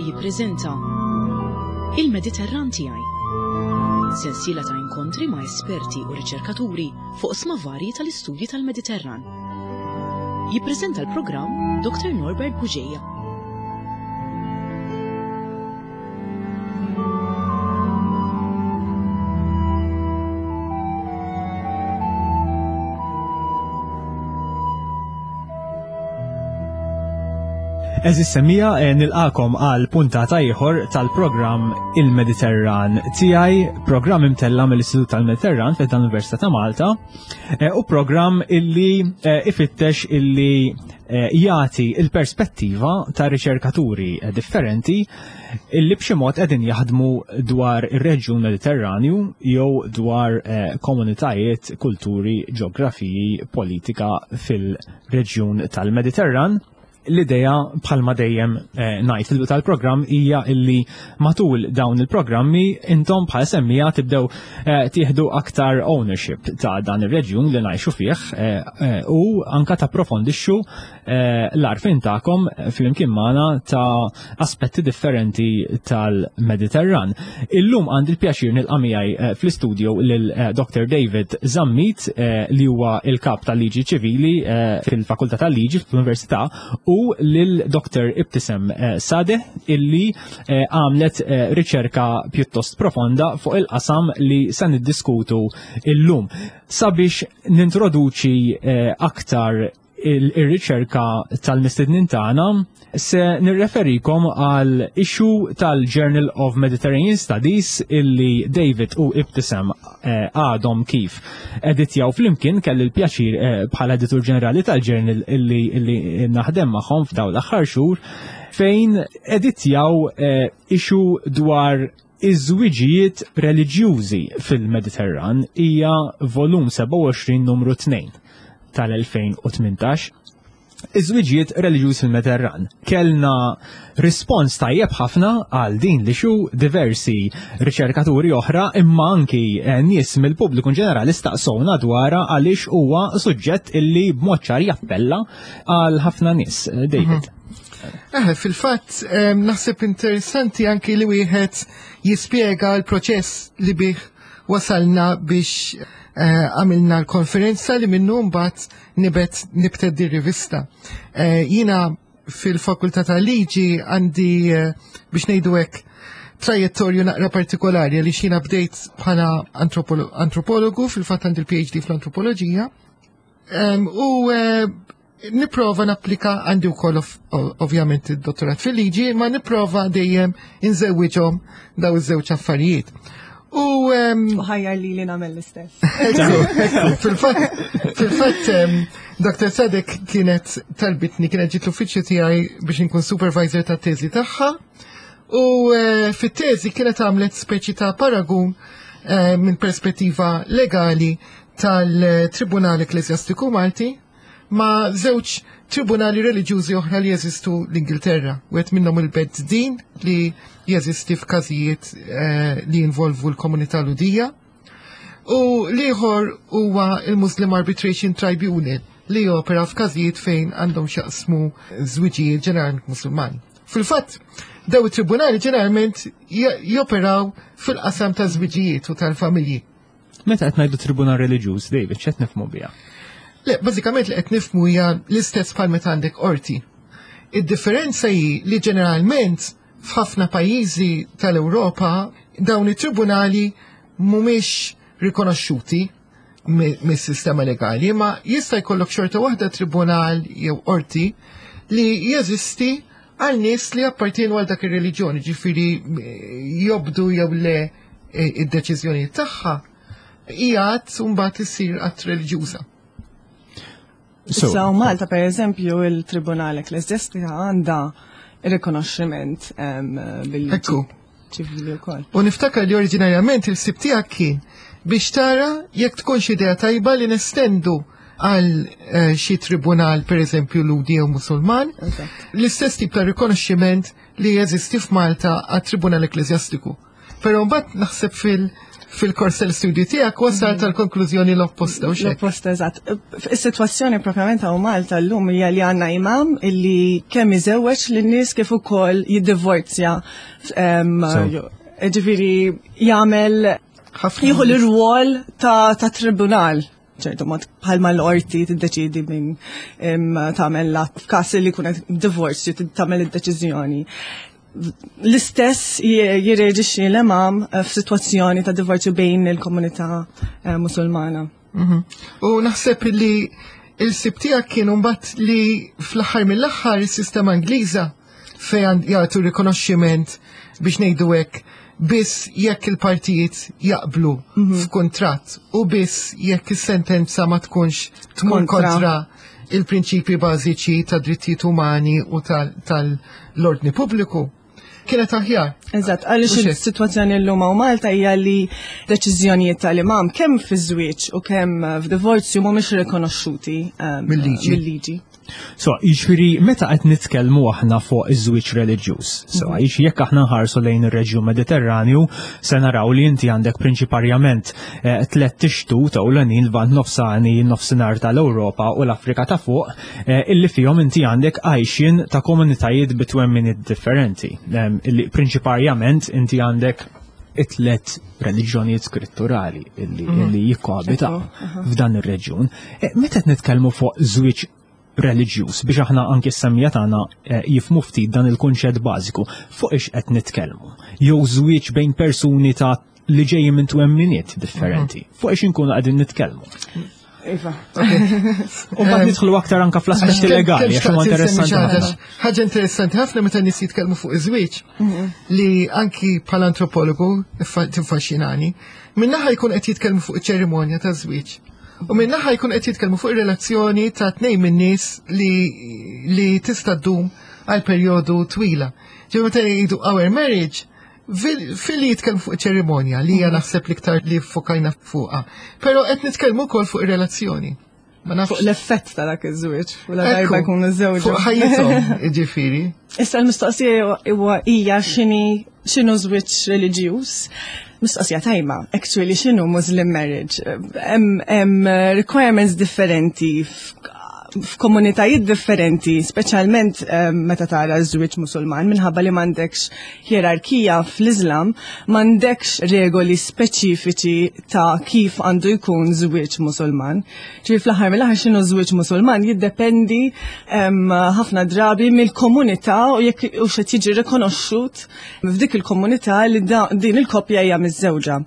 jippreżenta Il-Mediterran tiegħi. Sensiela ta' inkontri ma' esperti u riċerkaturi fuq sma varji tal-istudji tal-Mediterran. Jippreżenta l-programm Dr. Norbert Bugeja. Eżis semija eh, nilqakom għal puntata ieħor tal-programm Il-Mediterran tiegħi, programm imtella mill-Istitut tal-Mediterran fi dan l-Università ta' Malta, eh, u programm illi eh, ifittex illi jagħti il-perspettiva ta' riċerkaturi differenti illi b'xi mod qegħdin jaħdmu dwar ir-reġjun Mediterranju jew dwar komunitajiet, kulturi, ġeografiji, politika fil-reġjun tal-Mediterran. L-idea bħalma dejjem eh, ngħid fil tal-programm hija illi matul dawn il-programmi intom bħal semmija tibdew eh, tieħdu aktar ownership ta' dan ir-reġjun li ngħixu fih eh, u anka tapprofondixxu l-għarfien tagħkom flimkien magħna ta' aspetti differenti tal-Mediterran. Illum għandi l-pjaċir nilqa' miegħi eh, fl-istudio lil eh, Dr. David Zammit eh, li huwa il-kap tal-liġi ċivili fil-Fakultà tal-Liġi fl-Università u lil Dr. Ibtisem Sadeh illi għamlet riċerka pjuttost profonda fuq il-qasam li se niddiskutu illum. Sabiex nintroduċi aktar il-riċerka tal-mistednin tagħna se nirreferikom għal issue tal-Journal of Mediterranean Studies illi David u Ibtisem eh, għadhom kif editjaw flimkien kelli l-pjaċir eh, bħala editur ġenerali tal-journal illi, illi naħdem magħhom f'dawn l-aħħar xhur fejn editjaw eh, issue dwar Iż-żwiġijiet reliġjużi fil-Mediterran hija volum 27 numru 2 tal-2018. Iż-żwiġijiet reliġjużi fil-Mediterran. Kellna rispons tajjeb ħafna għal din li xu diversi riċerkaturi oħra imma anki eh, nies mill-pubbliku ġenerali staqsowna dwarha għaliex huwa suġġett illi b'mod ċar jappella għal ħafna nies. Eh, David. Mhm. Eh, fil-fatt, naħseb interessanti anki li wieħed jispjega l-proċess li bih wasalna biex eh, għamilna l-konferenza li minnu mbagħad nibet nibted di rivista. Eh, jina fil-fakultà tal-liġi għandi eh, biex ngħidu hekk trajettorju naqra partikolari li xina bdejt bħala antropologu fil-fatt għandi l-PhD fl-antropoloġija. U Nipprova napplika għandi wkoll ovvjament id-dottorat fil-liġi, ma nipprova dejjem inżewwiġhom daw iż-żewġ affarijiet. U ħajjar li li nagħmel l-istess. Fil-fatt, fil-fatt Dr. Sadek kienet talbitni, kienet ġiet l-uffiċċju tiegħi biex inkun supervisor ta' teżi tagħha. U eh, fit-teżi kienet għamlet speċi ta' paragun eh, minn perspettiva legali tal-Tribunal Ekklesjastiku Malti ma' żewġ tribunali reliġjużi oħra li jeżistu l-Ingilterra. Wieħed minnhom il-Bed Din li jeżisti f'każijiet eh, li jinvolvu l-komunità Ludija. U l-ieħor huwa il-Muslim Arbitration Tribunal li jopera f'każijiet fejn għandhom xaqsmu żwiġijiet ġeneralment Musulman. Fil-fatt, daw it-tribunali ġeneralment joperaw fil-qasam ta' żwiġijiet u tal-familji. Meta qed ngħidu tribunal reliġjuż, David, x'qed nifhmu biha? Le, bażikament li qed nifhmu hija l-istess bħal meta għandek qorti. Id-differenza hi li ġeneralment f'ħafna pajjiżi tal-Ewropa dawn it-tribunali mhumiex rikonoxxuti mis-sistema legali, ma jista' jkollok xorta waħda tribunal jew qorti li jeżisti għal nies li appartienu għal dak ir-reliġjoni, ġifieri jobdu jew le id-deċiżjoni tagħha hija att mbagħad issir att reliġjuża. Issa u Malta per eżempju il-Tribunal Ekklesjastika għandha rikonoxximent bil-liġi ċivili wkoll. U niftakar li oriġinarjament il-sib tiegħek kien biex tara jekk tkunx idea tajba li nestendu għal eh, xi tribunal per eżempju ludi jew musulman, l-istess tip ta' rikonoxximent li jeżisti f'Malta għat-Tribunal Ekklesjastiku. Però mbagħad naħseb fil- fil-kors tal-studju tiegħek wasal mhm. tal-konklużjoni l-opposta u L-opposta, eżatt. Is-sitwazzjoni propjament hawn Malta llum hija li għandna imam illi kemm iżewweġ lin-nies kif ukoll jiddivorzja. Ġifieri jagħmel jieħu l-irwol ta' tribunal ċertu mod bħalma l-qorti tiddeċidi min tagħmel f'każ li jkun divorzju tagħmel id-deċiżjoni. L-istess jirreġixxi l-imam eh, f'sitwazzjoni ta' divorzju bejn il-komunità eh, Musulmana. Mhm. U naħseb li il-sib tiegħek kien mbagħad li fl-aħħar mill-aħħar is-sistema Ingliża fejn jagħtu rikonoxximent biex ngħidu hekk biss jekk il-partijiet jaqblu mhm. f'kuntratt u biss jekk is-sentenza ma tkunx tmur kontra il-prinċipji bażiċi ta' drittijiet umani u tal-ordni pubbliku kienet aħjar. Eżatt, għaliex is-sitwazzjoni llum hawn Malta hija li deċiżjonijiet tal-imam kemm fi żwieġ u kemm f'divorzju mhumiex rikonoxxuti ehm, mill-liġi. So, jiġifieri meta qed nitkellmu aħna fuq iż-żwieġ reliġjuż. So, mhm. jiġifieri jekk aħna nħarsu lejn ir-reġjun Mediterranju, se naraw li inti għandek prinċiparjament eh, tliet tixtu ta' ewlenin l-Lvant Nofsani, nofsinhar tal-Ewropa u l-Afrika ta' fuq, eh, illi fihom inti għandek għajxin ta' komunitajiet bitwemminiet differenti. Illi prinċiparjament inti għandek it-tlet reliġjonijiet skritturali illi, mm. illi jikkoabitaw f'dan ir-reġjun. Eh, meta qed nitkellmu fuq żwieġ reliġjuż biex aħna anki s-semmija tagħna eh, jifmu ftit dan il-kunċett bażiku fuq ix qed nitkellmu. Jew żwieġ bejn persuni ta' li ġejjin minn twemminiet differenti. Mhm. Fuq ix inkunu qegħdin nitkellmu. Iva. U mbagħad nidħlu aktar anka fl-aspetti legali, għax huma interessanti. Ħaġa interessanti ħafna meta nies jitkellmu fuq iż-żwieġ mhm. li anki bħala antropologu tiffaxxinani, minnaħa jkun qed jitkellmu fuq iċ-ċerimonja ta' żwieġ. U minnaħa jkun qed jitkellmu fuq ir-relazzjoni ta' tnejn min-nies li li tista' ddum għal perjodu twila. Ġew meta jgħidu our marriage, Fil-li jitkellmu fuq ċerimonja li hija mhm. naħseb l-iktar li fokajna fuqha. Però qed nitkellmu wkoll fuq ir-relazzjoni. Ma nafx. Fuq l-effett ta' dak iż-żwieġ, u la darba jkun iż-żewġ. Fuq ħajjithom, jiġifieri. Issa l-mistoqsija huwa hija x'inhi x'inhu żwieġ reliġjuż. Mistoqsija tajba, actually x'inhu Muslim marriage. Hemm requirements differenti f'komunitajiet differenti, speċjalment eh, meta tara ż-żwieġ Musulman, minħabba li m'għandekx ħierarkija fl-Iżlam, m'għandekx regoli speċifiċi ta' kif għandu jkun żwieġ Musulman. Ġifieri fl-aħħar mill-aħħar x'inhu żwieġ Musulman jiddependi ħafna drabi mill-komunità u jekk u xed jiġi rikonoxxut f'dik il-komunità li din il-koppja hija miżżewġa.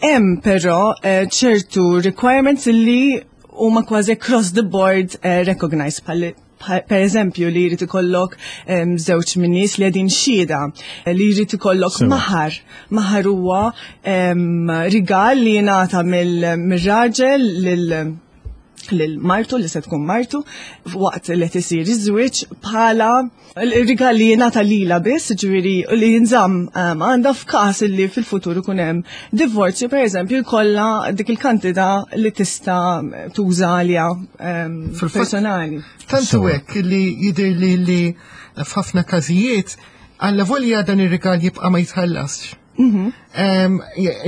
Hemm però eh, ċertu requirements li huma kważi across the board eh, recognized bħal per eżempju li jrid ikollok żewġ min nies li qegħdin xhieda, li jrid ikollok maħar. Maħar huwa rigal li jingħata mill-raġel lil lil martu li se tkun martu waqt li qed isir iż-żwieġ bħala il-rigal li jingħata lila biss, ġifieri li jinżamm ehm, għandha f'każ li fil-futur ikun hemm divorzju pereżempju jkollha dik il-kantità li tista' tuża għaliha ehm, personali. Tant hekk li jidher li li f'ħafna każijiet għalla volja dan ir-rigal jibqa' ma jitħallasx. Mhm. Ehm,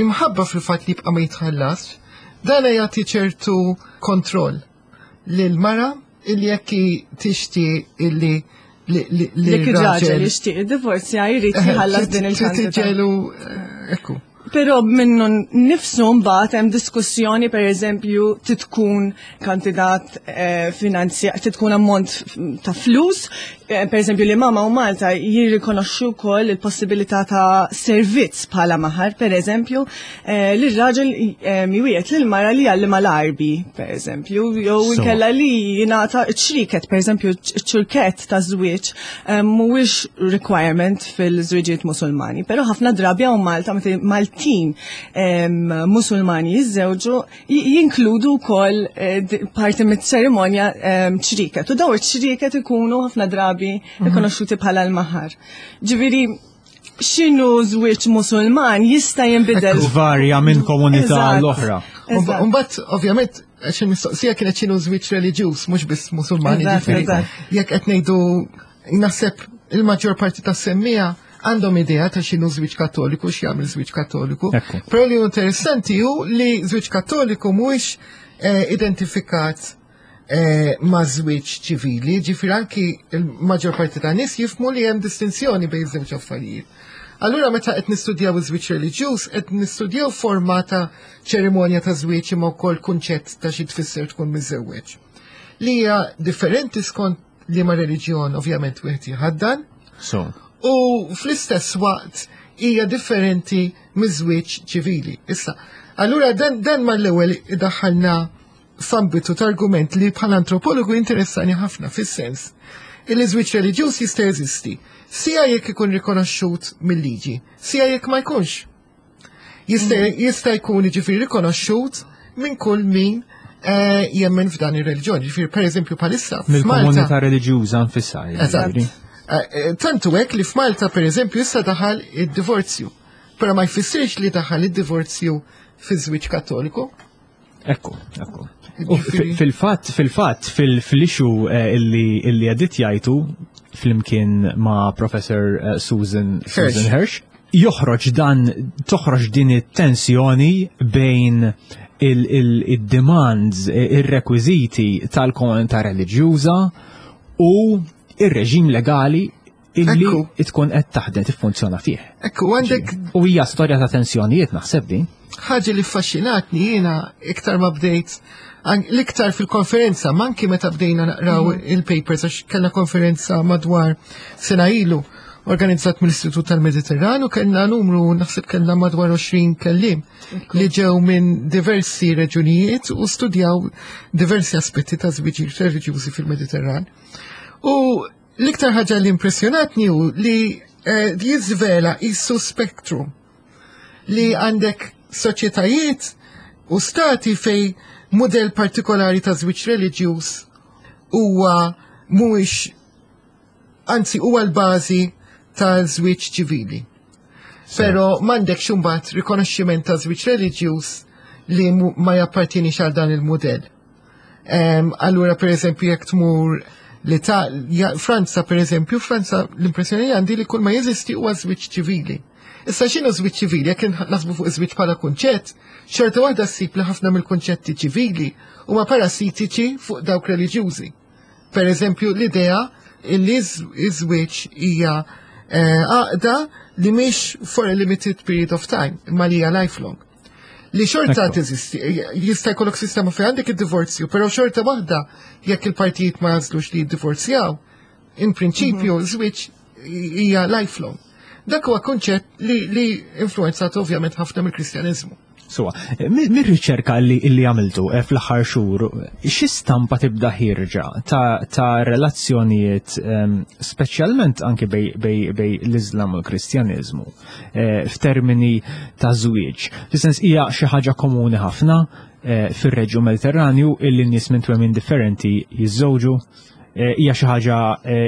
imħabba fil-fatt li jibqa' ma jitħallasx, dan jagħti ċertu kontroll lil mara illi jekk tixti illi li raġel jixtieq id-divorzja jrid jħallas din il-kantità. Eh, ekku. Però minnu nifsu mbagħad hemm diskussjoni pereżempju titkun kandidat eh, finanzja titkun ammont ta' flus, eh, pereżempju li mama u Malta jirrikonoxxu wkoll il-possibilità ta' servizz bħala maħar, pereżempju, Eh, li r-raġel eh, miwiet lil mara li għallima l-arbi, per eżempju, jew inkella li jingħata ċriket, per eżempju, ċurket ta' żwieġ eh, mhuwiex requirement fil-żwieġijiet Musulmani, però ħafna drabi hawn Malta meta Maltin Musulmani jiżżewġu jinkludu wkoll parti mit-ċerimonja ċriket. U daw iċ-ċriket ikunu ħafna drabi mhm. rikonoxxuti bħala l-maħar. Ġifieri x'inhu żwieġ Musulman jista' jinbidel. Varja minn komunità l-oħra. Mbagħad ovvjament għax il-mistoqsija kienet x'inhu żwieġ reliġjuż mhux biss Musulman, jiġifieri jekk qed ngħidu naħseb il-maġġor parti tas-semmija. għandhom idea ta' x'inhu żwieġ Kattoliku, x'jagħmel żwieġ Kattoliku. Però li interessanti hu li żwieġ Kattoliku mhuwiex eh, identifikat eh, ma' żwieġ ċivili, ġifier anki l-maġġor parti ta' nies jifmu li hemm distinzjoni bejn żewġ affarijiet. Allura meta qed nistudjaw iż-żwieġ reliġjuż, qed nistudjaw forma ta' ċerimonja ta' żwieġ imma wkoll kunċett ta' xi tfisser tkun miżewweġ. Li hija differenti skont liema reliġjon ovvjament wieħed jħaddan. So. U fl-istess waqt hija differenti miż-żwieġ ċivili. Issa, allura dan, dan mal-ewwel idaħħalna f'ambitu ta' argument li bħala antropologu interessani ħafna fis-sens illi żwieġ reliġjuż jista' jeżisti, sija jekk ikun rikonoxxut mill-liġi, sija jekk ma jkunx. Jista' mm. jkun jiġifieri rikonoxxut minn kull min eh, jemmen f'dan ir-reliġjon. Ġifieri pereżempju bħalissa. Mill-komunità reliġjuża nfisha. Eżatt. Eh, eh, tantu hekk li f'Malta pereżempju issa daħal id-divorzju. Però ma jfissirx li daħal id-divorzju fiż-żwieġ Kattoliku. Ekku, ekku. U fil-fatt, fil-fatt, fil-issue eh, illi għedit jajtu fl-imkien ma' Professor eh, Susan Susan Hirsch, joħroġ dan, toħroġ din it-tensjoni bejn il-demands, il-rekwiziti tal-komunità reliġjuża u il-reġim legali illi tkun qed taħdem tiffunzjona fih. Ekku għandek. U hija storja ta' tensjonijiet naħseb din. Ħaġa li ffaxxinatni jiena iktar ma bdejt l-iktar fil-konferenza, manki meta bdejna naqraw mm. il-papers għax kellna konferenza madwar sena ilu organizzat mill-Istitut tal-Mediterran u kellna numru naħseb kellna madwar 20 kellim li ġew minn diversi reġunijiet u studjaw diversi aspetti ta' żwiġijiet reliġjużi fil-Mediterran. U L-iktar ħaġa li impressjonatni hu li eh, jiżvela jissu spektrum li għandek soċjetajiet u stati fej model partikolari ta' żwieġ reliġjuż huwa mhuwiex anzi huwa l-bażi ta' żwieġ ċivili. Però m'għandekx imbagħad rikonoxximent ta' żwieġ reliġjuż li ma jappartienix għal dan il-mudell. Allura, per eżempju, jekk tmur li ta' Franza, per eżempju, Franza l-impressjoni għandi li kull ma jeżisti huwa żwieġ ċivili. Issa x'inhu żwieġ ċivili? Jekk naħsbu fuq żwieġ bħala kunċett, xorta waħda ssib li ħafna mill-kunċetti ċivili huma parasitiċi fuq dawk reliġjużi. Per eżempju, l-idea li iż-żwieġ hija eh, għaqda li mhix for a limited period of time, imma li hija lifelong. Li xorta teżisti, jista' jkollok sistema fejn għandek id-divorzju, però xorta waħda jekk il-partijiet ma jażlux li jiddivorzjaw, in prinċipju mhm. żwieġ hija lifelong. Dak huwa kunċett li, li influenzat ovvjament ħafna mill-Kristjaniżmu. Suwa, mir-riċerka li, li għamiltu eh, fl-aħħar xhur, xi stampa tibda ħirġa ta', ta relazzjonijiet ehm, speċjalment anke bej, bej, bej l-Iżlam u l-Kristjaniżmu eh, f'termini ta' żwieġ. Fis-sens hija xi ħaġa komuni ħafna eh, fir-reġjun Mediterranju illi n-nies minn twemmin differenti jiżżewġu eh, hija xi ħaġa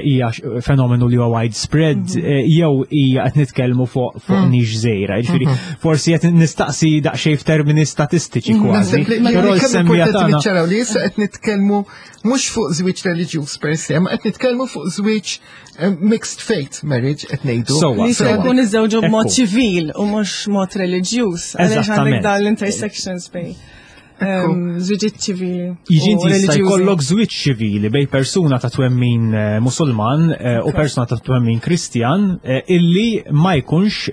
hija fenomenu li huwa widespread mhm. jew hija qed nitkellmu fuq fuq mm. nix żejra. Jiġifieri mhm. forsi qed nistaqsi daqsxejn f'termini statistiċi mhm. kważi. Però l-semmija tagħna li issa qed nitkellmu mhux fuq żwieġ reliġjuż per se, ma qed nitkellmu fuq żwieġ Eh, mixed faith marriage qed ngħidu. Li se jkun iżewġu b'mod ċivil u mhux mod reliġjuż. Għaliex għandek dan l-intersections bej. Ehm, żwiġiet ċivili. Jiġi inti jista' jkollok żwieġ ċivili bej persuna ta' twemmin eh, Musulman eh, u persuna ta' twemmin Kristjan illi ma jkunx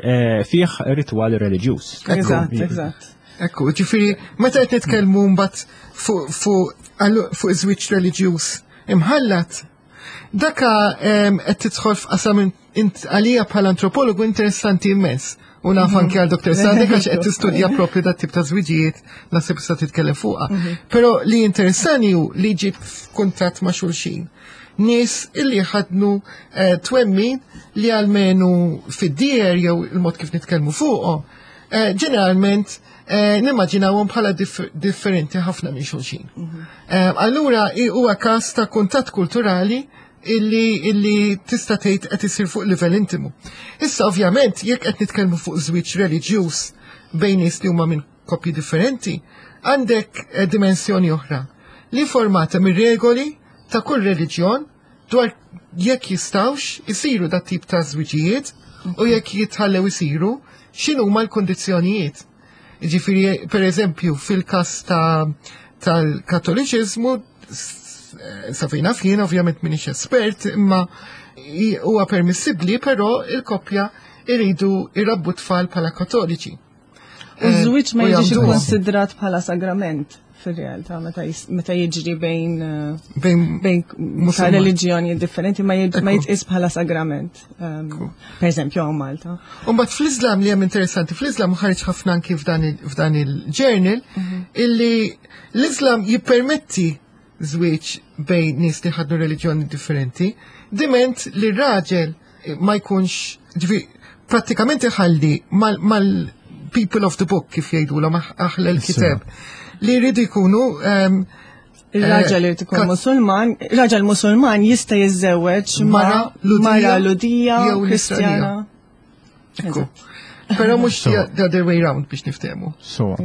fih ritwal reliġjuż. Eżatt, eżatt. Ekku, ġifieri meta qed nitkellmu mbagħad fuq iż-żwieġ reliġjuż imħallat Daka qed tidħol f'qasam għalija bħala antropologu interessanti immens. U naf mhm. anke għal Dr. Sadek għax qed tistudja propju dat tip ta' żwiġijiet naħseb sa titkellem fuqha. Mhm. Però li interessani hu li ġib f'kuntatt ma' xulxin. Nies illi ħadnu eh, twemmin li għalmenu fid-dier jew il-mod kif nitkellmu fuqhom, eh, ġeneralment eh, nimmaġinawhom bħala differenti ħafna minn xulxin. Mhm. Eh, allura huwa każ ta' kuntatt kulturali illi, illi tista' tgħid qed isir fuq livell intimu. Issa ovvjament jekk qed nitkellmu fuq żwieġ reliġjuż bejn nies li huma minn koppji differenti, għandek eh, dimensjoni oħra li formata mir-regoli ta' kull reliġjon dwar jekk jistawx isiru dat tip ta' żwiġijiet U jekk jitħallew isiru, x'inhuma l-kundizzjonijiet? Ġifieri, per eżempju, fil-każ ta' tal-Kattoliċiżmu, sa fejn naf jien, ovvjament m'iniex espert, imma huwa permissibbli, però il-koppja iridu irabbu tfal bħala Kattoliċi. U żwieġ ma jiġix ikkonsidrat bħala sagrament fir-realtà meta jiġri bejn bejn ta' reliġjoni differenti ma jitqis bħala sagrament. Per eżempju hawn Malta. U mbagħad fl-Islam li hemm interessanti, fl-Islam ħareġ ħafna anki f'dan il-journal illi l-Islam jippermetti żwieġ bejn nies li ħadnu reliġjoni differenti, diment li r-raġel ma jkunx, ġifi, prattikament iħalli mal-people of the book kif jgħidulhom aħla l-kiteb li jridu jkunu Il-raġel irid ikun Musulman, raġel Musulman jista' jiżżewweġ mara mara Lhudija jew Kristjana. Ekku. Però mhux the other way round biex niftehmu. So.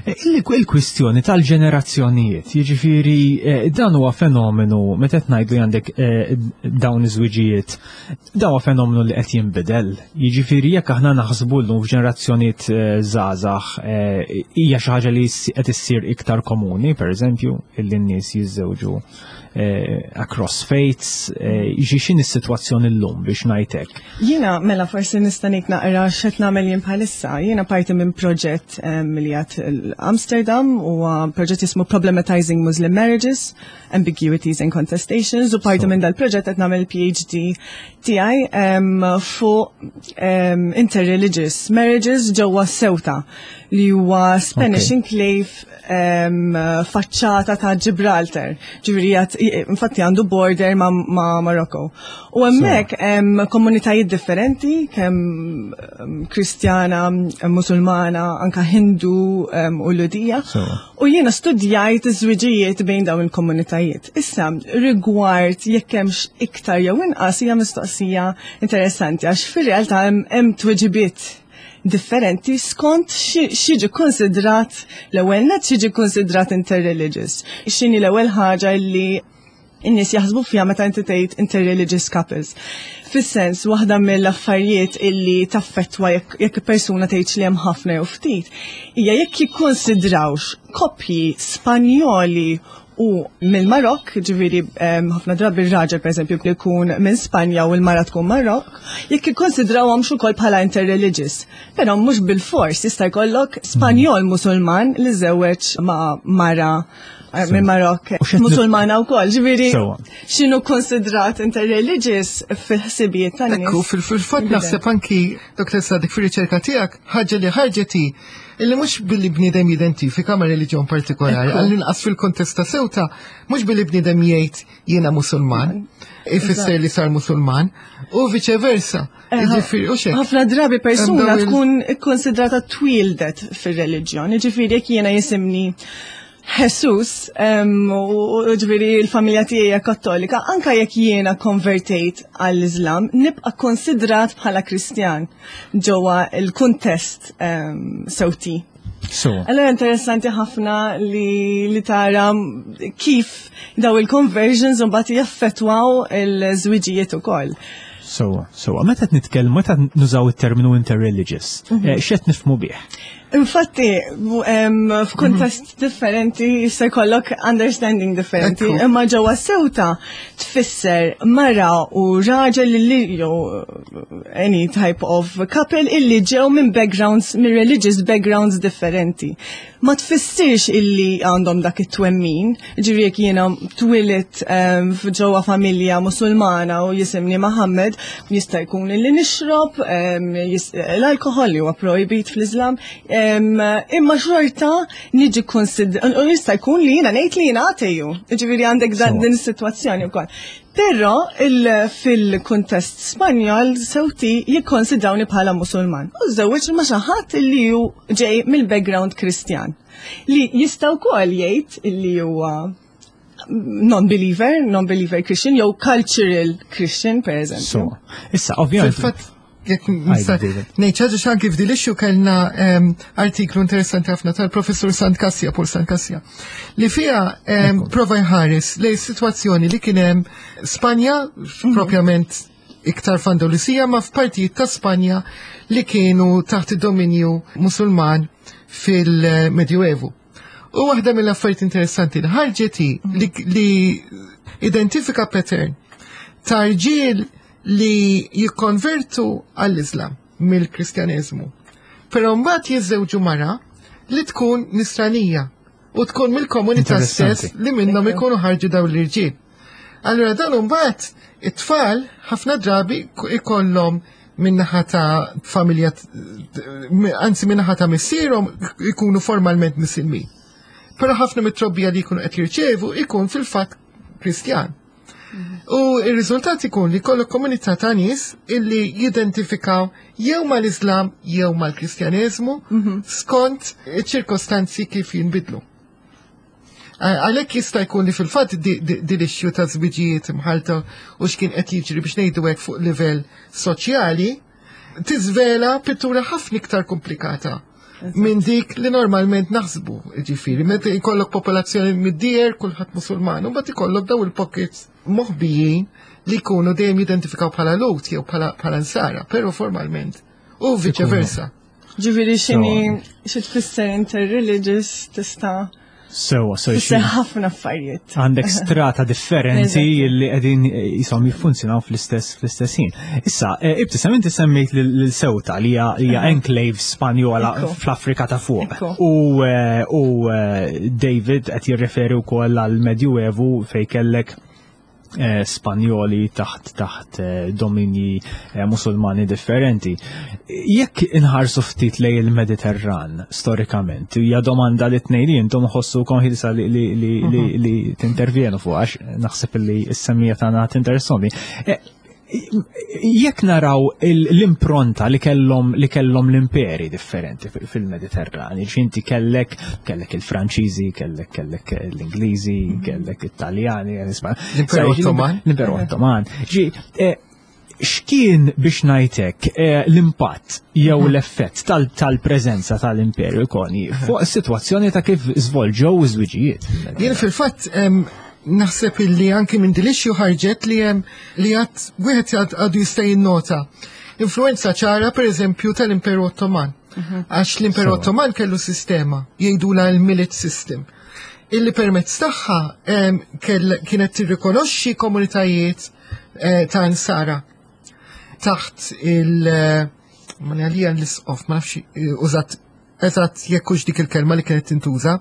Il-kwistjoni tal-ġenerazzjonijiet, jiġifieri dan huwa fenomenu meta qed ngħidu għandek dawn iż-żwiġijiet, dan huwa fenomenu li qed jinbidel. Jiġifieri jekk aħna naħsbu llum f'ġenerazzjonijiet żgħażagħ hija xi ħaġa li qed issir iktar komuni, pereżempju, illi n-nies jiżżewġu across faiths, jiġi x'inhi s-sitwazzjoni llum biex ngħid hekk. Jiena mela forsi nista' ngħid naqra x'qed nagħmel jien bħalissa. Jiena parti minn proġett li għad Amsterdam, huwa proġett jismu Problematizing Muslim Marriages, Ambiguities and Contestations, u parti minn dal-proġett qed nagħmel PhD tiegħi fuq interreligious marriages ġewwa Ceuta, li huwa Spanish enclave faċċata ta' Gibraltar. Ġifieri infatti għandu border ma' Marokko. U hemmhekk hemm komunitajiet differenti, kemm Kristjana, Musulmana, anka Hindu u Lhudija. U jiena studjajt iż-żwiġijiet bejn dawn il-komunitajiet. Issa, rigward jekk hemmx iktar jew inqas hija mistoqsija interessanti, għax fir-realtà hemm tweġibiet differenti skont x'jiġi konsidrat l-ewwel net, x'jiġi konsidrat interreligious. X'inhi l-ewwel ħaġa li n-nies jaħsbu fiha meta inti tgħid interreligious couples. Fis-sens, waħda mill-affarijiet illi taffettwa jekk persuna tgħidx li hemm ħafna jew ftit, hija jekk jikkonsidrawx koppji Spanjoli u mill-Marokk, ġifieri ħafna drabi r-raġel pereżempju li jkun minn Spanja u l-mara tkun Marokk, jekk jikkonsidrawhomx ukoll bħala interreligious. Però mhux bil-fors, jista' jkollok Spanjol Musulman li żewweġ ma' mara minn Marokk U x'qed Musulmana wkoll, ġifieri x'inhu konsidrat interreligious fil-ħsibijiet tan-nies. Ekku, fil-fatt naħseb anki Dr. Sadik fir-riċerka tiegħek ħaġa li ħarġet hi illi mhux billi bniedem jidentifika ma' reliġjon partikolari, għall-inqas fil-kontest ta' Ceuta, mhux billi bniedem jgħid jiena Musulman, ifisser li sar Musulman, u viċe versa. Jiġifieri, u xek. Ħafna drabi persuna Hemm dawn il- tkun ikkonsidrata twildet fir-reliġjon, jiġifieri jekk jiena jisimni Jesus, u ġifieri l-familja tiegħi hija Kattolika, anka jekk jiena konvertejt għall-Islam, nibqa' konsidrat bħala Kristjan ġewwa l-kuntest Sewti. Allora interessanti ħafna li tara kif daw il-conversions u mbagħad jaffettwaw il-żwiġijiet ukoll. So, meta qed nitkellmu, meta nużaw it-terminu interreligious, x'qed nifhmu bih? Infatti, f'kuntest differenti jista' jkollok understanding differenti. Imma ġewwa Ceuta tfisser mara u raġel li jew any type of couple illi ġew minn backgrounds, minn religious backgrounds differenti. Ma tfissirx illi għandhom dak it-twemmin, ġifieri jekk jiena twilit f'ġewwa familja Musulmana u jisimni Mohammed, jista' jkun illi nixrob l-alkohol li huwa projbit fl-Islam, imma xorta niġi u jista' jkun li jiena ngħid li jiena ateju. Ġifieri għandek din is-sitwazzjoni wkoll. Però fil-kuntest Spanjol Sewti jikkonsidrawni bħala Musulman. U żewġ ma xi ħadd li hu ġej mill-background Kristjan. Li jista' wkoll jgħid li huwa non-believer, non-believer Christian, jew cultural Christian, per eżempju. So, issa, ovvjament. Fil-fatt, jekk nista' David. ngħid ħaġa x'anki f'dil issue kellna artiklu interessanti ħafna tal-professur Sant Kassia, Paul Sant Kassia, li fiha prova jħares lejn sitwazzjoni li kien hemm Spanja, propjament iktar f'Andalusija ma f'partijiet ta' Spanja li kienu taħt id-dominju Musulman fil-Medjuevu. U waħda mill-affarijiet interessanti li ħarġet hi li, li identifika pattern ta' rġiel li jikkonvertu għall-Islam mill-Kristjaneżmu. Però mbagħad jiżżewġu mara li tkun nisranija u tkun mill-komunità stess li minnhom ikunu ħarġu dawn l-irġiel. Allura dan mbagħad it-tfal ħafna drabi ikollhom minnaħa ta' familja, anzi minnaħa ta' missierhom ikunu formalment misilmin. Però ħafna mit-trobbija li jkunu qed jirċevu ikun fil-fatt Kristjan. U il-riżultat ikun li kollok komunità ta' nies illi jidentifikaw jew mal-Islam jew mal-Kristjaneżmu skont iċ-ċirkostanzi kif jinbidlu. Għalhekk jista' jkun li fil-fatt din issue ta' żwiġijiet imħalta u x'kien qed jiġri biex ngħidu hekk fuq livell soċjali tiżvela pittura ħafna iktar komplikata minn dik li normalment naħsbu, ġifieri, meta jkollok popolazzjoni mid-dier, kulħadd Musulman, u mbagħad ikollok daw il-pockets moħbijin li jkunu dejjem jidentifikaw bħala Lut jew bħala Nsara, però formalment u vice versa. Ġifieri x'inhi xi tfisser interreligious tista' Sewa, sewa. Tfisser ħafna affarijiet. Għandek strata differenti li qegħdin jisom jiffunzjonaw fl-istess fl-istess ħin. Issa, Ibtisam inti semmejt lil Ceuta li hija enclave Spanjola fl-Afrika ta' fuq. U David qed jirreferi wkoll għal Medjuevu fejn kellek Spanjoli taħt taħt dominji Musulmani differenti. Jekk inħarsu ftit lej il-Mediterran storikament, hija domanda li tnejn li intom ħossukom ħilsa li, li, li, li, li tintervjenu fuq għax naħseb li s-semmija tagħna tinteressoni. Jekk naraw l-impronta li kellhom li kellhom l-imperi differenti fil-Mediterran, inti kellek kellek il-Franċiżi, kellek kellek l-Ingliżi, kellek it-Taljani, L-Imperu Ottoman. L-Imperu Ottoman. Ġi, x'kien biex ngħidlek l-impatt jew l-effett tal-preżenza tal-Imperu Koni fuq is-sitwazzjoni ta' kif żvolġew iż-żwiġijiet? Jien fil-fatt naħseb illi anki minn din l-issue ħarġet li hemm li għad wieħed għadu jista' jinnota influenza ċara per eżempju tal-Imperu Ottoman. Għax l-Imperu Ottoman kellu sistema jgħidula l-millet system illi permezz tagħha kienet tirrikonoxxi komunitajiet ta' Nsara taħt il- ma għalija l-isqof, ma nafx użat eżatt jekk hux dik il-kelma li kienet tintuża,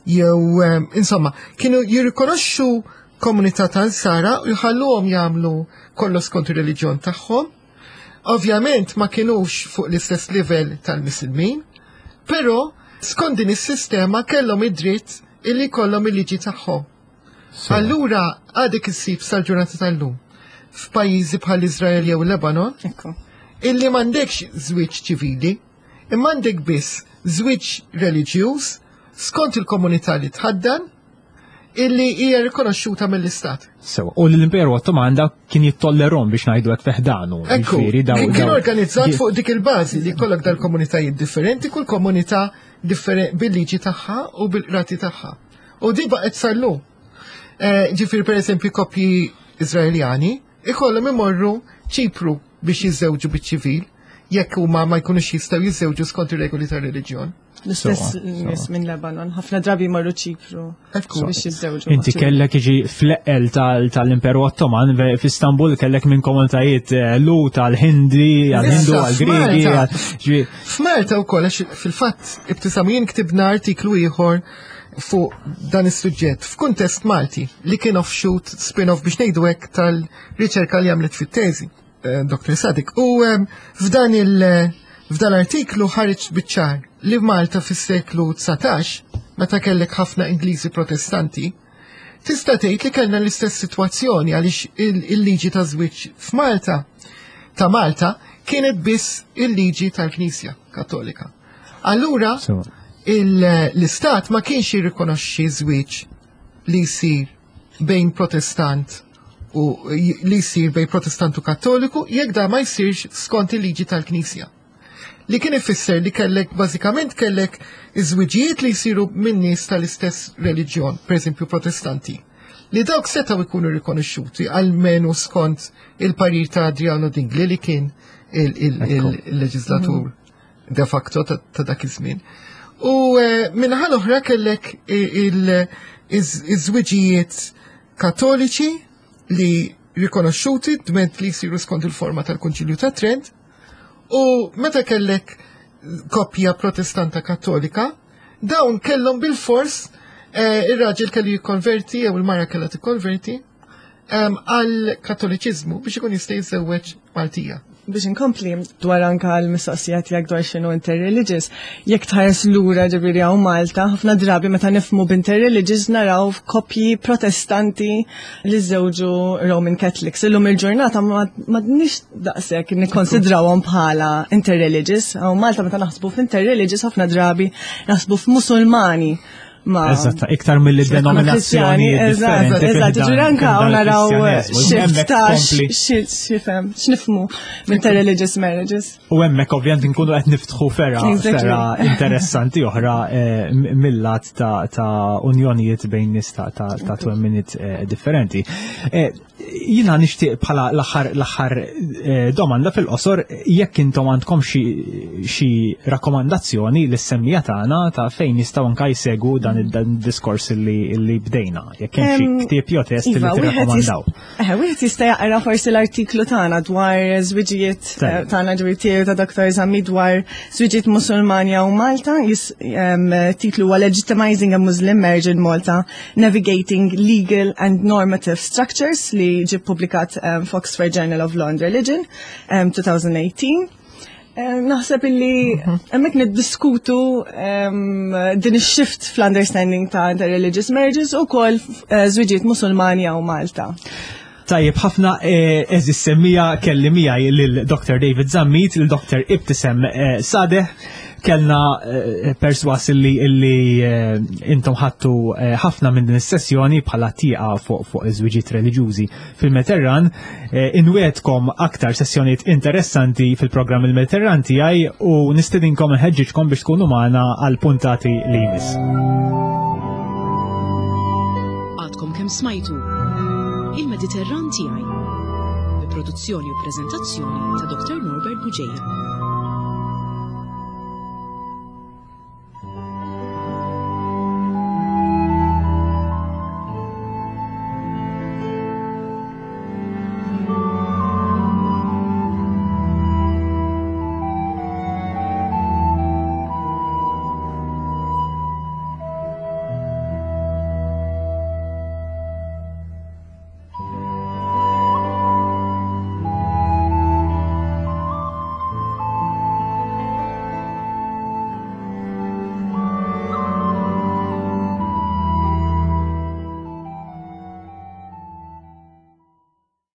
jew insomma, kienu jirrikonoxxu komunità ta' Nsara u jħalluhom jagħmlu kollox skont ir-reliġjon tagħhom. Ovvjament ma kienux fuq l-istess livell tal-Misilmin, però skont din is-sistema kellhom id-dritt illi jkollhom il-liġi tagħhom. Allura għadek issib sal-ġurnata tal-lum f'pajjiżi bħal Iżrael jew Lebanon illi m'għandekx żwieġ ċivili, imma għandek biss żwieġ reliġjuż skont il-komunità li tħaddan illi hija rikonoxxuta mill-Istat. Sewa, u l-Imperu Ottoman da kien jittollerhom biex ngħidu hekk feħdanu. Ekku, kien organizzat fuq dik il-bażi li jkollok dal-komunitajiet differenti, kull komunità bil-liġi tagħha u bil-qrati tagħha. U di baqgħet sal-lum. Ġifieri per eżempju koppji Iżraeljani ikollhom imorru Ċipru biex jiżżewġu biċ-ċivil jekk huma ma jkunux jistgħu jiżżewġu skont ir-regoli tar-reliġjon. L-istess nies minn Lebanon, ħafna drabi marru Ċipru biex jiżżewġu. Inti kellek iġi fl-eqqel tal-Imperu Ottoman f'Istanbul kellek minn komunitajiet Lut għal-Hindi, għal-Hindu, għal-Griegi. F'Malta wkoll għax fil-fatt Ibtisam jien ktibna artiklu ieħor fuq dan is-suġġett f'kuntest Malti li kien offshoot spin-off biex ngħidu hekk tal-riċerka li għamlet fit-teżi Dr. Sadik. U f'dan il- f'dan l-artiklu ħareġ biċ-ċar li Malta fis-seklu 19, meta kellek ħafna Ingliżi Protestanti, tista' tgħid li kellna l-istess sitwazzjoni għaliex il-liġi ta' żwieġ f'Malta ta' Malta kienet biss il-liġi tal-Knisja Kattolika. Allura l-Istat ma kienx jirrikonoxxi żwieġ li jsir bejn Protestant u li jsir bejn Protestant u Kattoliku jekk da ma jsirx skont il-liġi tal-Knisja. Li kien ifisser li kellek bażikament kellek iż-żwiġijiet li jsiru minn nies tal-istess reliġjon, pereżempju Protestanti. li dawk setgħu jkunu rikonoxxuti almenu skont il-parir ta' Adriano Dingli li kien il-leġislatur de facto ta' dak iż-żmien. U eh, minnaħa l-oħra kellek iż-żwiġijiet katoliċi li rikonoxxuti dment li jsiru skont il-forma tal-Kunċilju ta' Trent u meta kellek koppja protestanta kattolika, dawn kellhom bil-fors eh, ir-raġel kellu jikkonverti jew il-mara kellha tikkonverti għal kattoliċiżmu biex ikun jista' jiżżewweġ Maltija. Biex inkompli dwar anka l-mistoqsija tiegħek dwar x'inhu interreligious, jekk tħares lura ġifieri hawn Malta, ħafna drabi meta nifhmu b'interreligious naraw koppji protestanti li żewġu Roman Catholics. Illum il-ġurnata m'għadniex daqshekk nikkonsidrawhom bħala interreligious. Hawn Malta meta naħsbu f'interreligious ħafna drabi naħsbu f'Musulmani ma. Eżatt, iktar mill-denominazzjoni. Eżatt, eżatt, ġifieri anke hawn naraw shift ta' x'ifhem, x'nifhmu minn ta' religious marriages. U hemmhekk ovvjament nkunu qed niftħu fera fera interessanti oħra eh, mill-lat ta' unjonijiet bejn nies ta' twemminiet eh, differenti. Eh, Jina nixtieq bħala l-aħħar l-aħħar eh, domanda fil-qosor jekk intom għandkom xi rakkomandazzjoni lis semmija tagħna ta' fejn jistgħu anke jsegwu dan id-diskors li bdejna. Jekk hemm xi ktieb jew test li iva, tirrakkomandaw. Eh, wieħed jista' jaqra forsi l-artiklu tagħna dwar żwiġijiet eh, tagħna ġifieri tiegħu ta' Dr. Zammi dwar żwiġijiet Musulmani u Malta, titlu huwa Legitimizing a Muslim Marriage in Malta Navigating Legal and Normative Structures li ġie publikat um, f'Oxford Journal of Law and Religion um, 2018. Um, naħseb illi mhm. hemmhekk niddiskutu um, din ix-shift fl-understanding ta' interreligious marriages u kol uh, żwiġijiet Musulmani u Malta. Tajjeb ħafna eh, eżis semmija kelli miegħi lil Dr. David Zammit, lil Dr. Ibtisem eh, Sadeh, kellna eh, perswas illi illi intom ħattu ħafna minn din is-sessjoni bħala tieqa fuq fuq iż-żwiġiet reliġjużi fil-Mediterran. Inwietkom aktar sessjonijiet interessanti fil-programm il-Mediterran tiegħi u nistedinkom nħeġġiġkom biex tkunu magħna għal puntati li jmiss. Għadkom kemm smajtu Il-Mediterran tiegħi bi produzzjoni u preżentazzjoni ta' Dr. Norbert Buġeja.